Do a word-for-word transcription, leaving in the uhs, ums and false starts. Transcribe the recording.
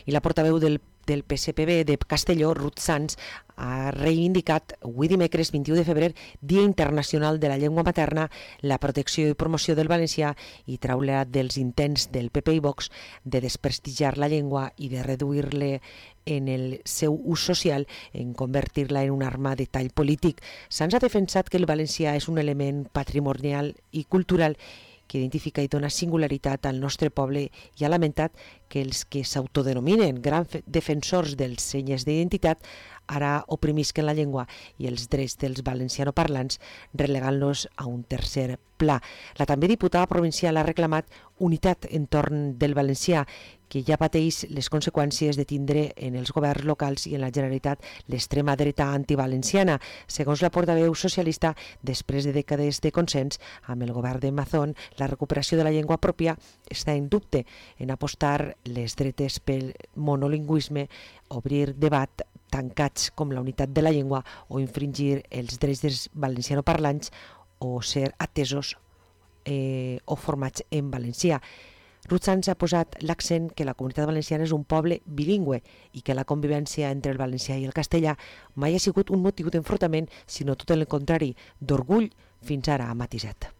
I la portaveu del del P S P B de Castelló, Ruth Sans, ha reivindicat avui dimecres vint-i-u de febrer, Dia Internacional de la Llengua Materna, la protecció i promoció del valencià i traure dels intents del P P i Vox de desprestigiar la llengua i de reduir-la en el seu ús social, en convertir-la en una arma de tall polític. Sans ha defensat que el valencià és un element patrimonial i cultural que identifica i dona singularitat al nostre poble i ha lamentat que els que s'autodenominen grans defensors dels senyes d'identitat ara oprimisquen la llengua i els drets dels valencianoparlants, relegant-los a un tercer pla. La també diputada provincial ha reclamat unitat entorn del valencià, que ja pateix les conseqüències de tindre en els governs locals i en la Generalitat l'extrema dreta antivalenciana. Segons la portaveu socialista, després de dècades de consens amb el govern de Mazón, la recuperació de la llengua pròpia està en dubte en apostar les dretes pel monolingüisme, obrir debat tancats com la unitat de la llengua o infringir els drets dels valencianoparlants o ser atesos eh, o formats en valencià. Ruth Sans ha posat l'accent que la comunitat valenciana és un poble bilingüe i que la convivència entre el valencià i el castellà mai ha sigut un motiu d'enfrontament, sinó tot el contrari, d'orgull, fins ara ha matisat.